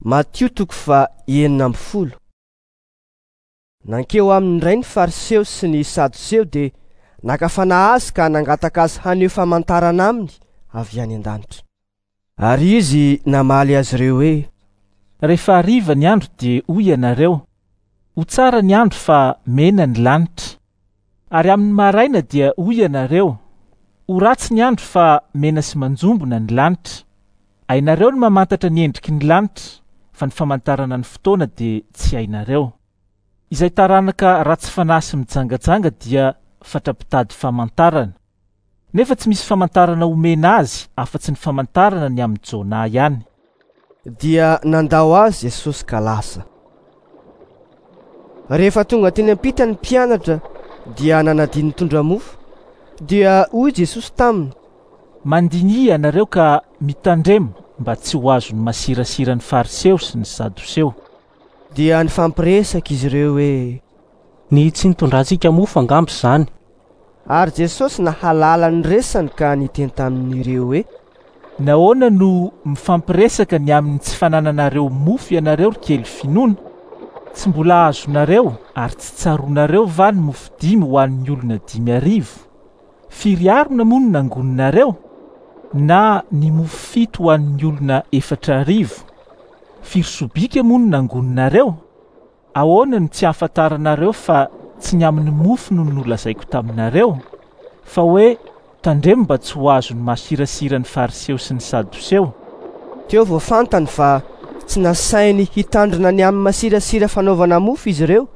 Matio toko faha 16. Nankeo aminy indray ny Fariseo sy ny Sadoseo dia naka fanahy azy ka nangataka azy haneho famantarana aminy avy any an-danitra. Ary izy namaly azy ireo hoe: Rehefa hariva ny andro dia hoy ianareo, Ho tsara ny andro fa mena ny lanitra. Ary amin'ny maraina dia hoy ianareo, Ho ratsy ny andro fa mena sy manjombona ny lanitra. Hainareo ny mamantatra ny endriky ny lanitra, fa ny famantarana ny fotoana dia tsy hainareo. Izay taranaka ratsy fanahy sy mijangajanga dia fatra-pitady famantarana. Nefa tsy misy famantarana omena azy afa-tsy ny famantarana ny amin'i Jonah ihany. Dia nandao azy Jesosy ka lasa. Rehefa tonga teny am-pita ny mpianatra dia nanadino nitondra mofo. Dia hoy Jesosy taminy. Mandiniha ianareo ka mitandrema mba tsy ho azon'ny masirasiran'ny Fariseo sy ny Sadoseo. Dia nifampiresaka izy ireo hoe. Ny tsy nitondrantsika mofo angamba izany. Ary Jesosy nahalala ny resany ka niteny tamin'ireo hoe. Nahoana no mifampiresaka ny amin'ny tsy fanananareo mofo ianareo ry kely finoana? Tsy mbola azonareo ary tsy tsaroanareo va ny mofo dimy ho an'ny olona 5000? Firy harona moa no nangoninareo? Na ny mofo fito ho an'ny olona 4000? Firy sobika moa no nangoninareo? Ahoana no tsy ahafantaranareo fa tsy ny amin'ny mofo no nolazaiko taminareo? Fa hoe, Tandremo mba tsy ho azon'ny masirasiran'ny Fariseo sy ny Sadoseo. Teo vao fantany fa tsy nasainy hitandrina ny amin'ny masirasira fanaovana mofo izy ireo,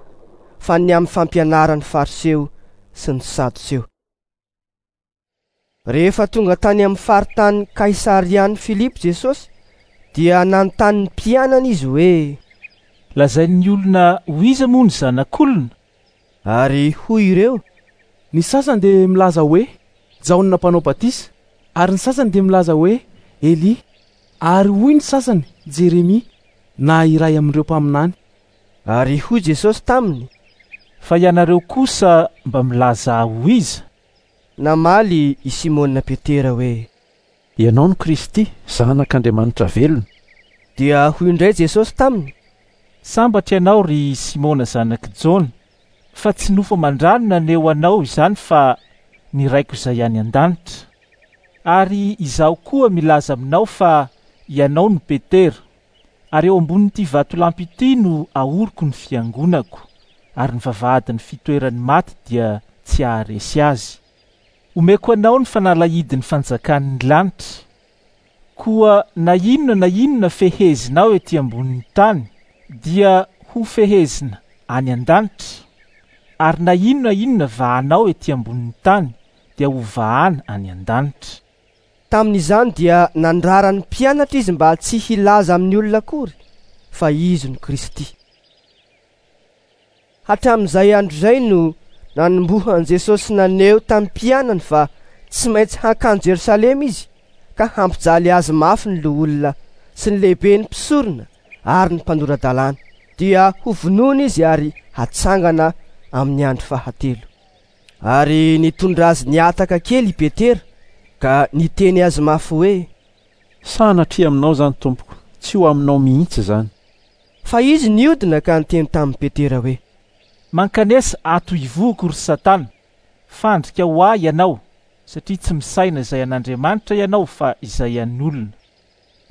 fa ny amin'ny fampianaran'ny Fariseo sy ny Sadoseo. Rehefa tonga tany amin'ny faritany Kaisarian'i Filipo Jesosy, dia nanontany ny mpianany izy hoe. Lazain'ny olona ho iza moa ny Zanak'olona? Ary hoy ireo. Ny sasany dia milaza hoe, Jaona Mpanao Batisa, ary ny sasany dia milaza hoe, Elia, ary hoy ny sasany, Jeremia, na iray amin'ireo mpaminany. Ary hoy Jesosy taminy. Fa ianareo kosa mba milaza Ahy ho iza? Namaly i Simona Petera hoe. Ianao no Kristy, Zanak'Andriamanitra velona. Dia hoy indray Jesosy taminy. Sambatra ianao, ry Simona zanak'i Jona, fa tsy nofo aman-drà no naneho anao izany fa ny Raiko izay any an-danitra. Ary Izaho koa milaza aminao fa ianao no Petera, ary eo ambonin'ity vatolampy ity no ahoriko ny fiangonako, ary ny vavahadin'ny fitoeran'ny maty dia tsy haharesy azy. Omeko anao ny fanalahidin'ny fanjakan'ny lanitra. Koa na inona na inona fehezinao ety ambonin'ny tany dia hofehezina any an-danitra, ary na inona inona vahanao ety ambonin'ny tany dia hovahana any an-danitra. Tamin'izany dia nandrara ny mpianatra izy mba tsy hilaza amin'ny olona akory fa izy no Kristy. Hatramin'izay andro izay no nanombohan'i Jesosy naneho tamin'ny mpianany fa tsy maintsy hankany Jerosalema izy ka hampijaly azy mafy ny loholona sy ny lehiben'ny mpisorona ary ny mpanora-dalàna, dia hovonoina izy ary hatsangana amin'ny andro fahatelo. Ary nitondra azy nihataka kely i Petera ka niteny azy mafy hoe. Sanatria aminao izany, Tompoko, tsy ho aminao mihitsy izany. Fa izy niodina ka niteny tamin'i Petera hoe. Mankanesa ato ivohoko, ry Satana! Fandrika ho ahy ianao, satria tsy misaina izay an'Andriamanitra ianao fa izay an'olona.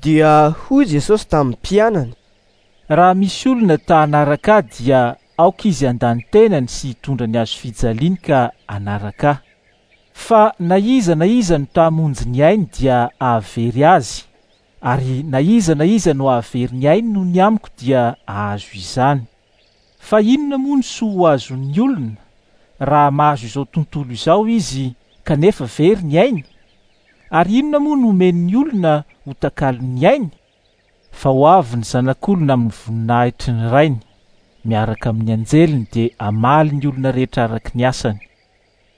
Dia hoy Jesosy tamin'ny mpianany. Raha misy olona ta hanaraka Ahy dia aoka izy handà ny tenany sy hitondra ny hazofijaliany ka hanaraka Ahy. Fa na iza na iza no ta hamonjy ny ainy dia hahavery azy, ary na iza na iza no hahavery ny ainy noho ny amiko dia hahazo izany. Fa inona moa no soa ho azon'ny olona raha mahazo izao tontolo izao izy kanefa very ny ainy? Ary inona moa no omen'ny olona ho takalon'ny ainy? Fa ho avy ny Zanak'olona amin'ny voninahitry ny Rainy, miaraka amin'ny anjeliny, dia hamaly ny olona rehetra araka ny asany.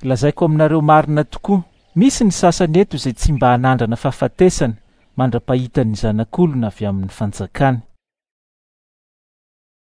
Lazaiko aminareo marina tokoa, misy ny sasany eto izay tsy mba hanandrana fahafatesana mandra-pahitany ny Zanak'olona avy amin'ny fanjakany.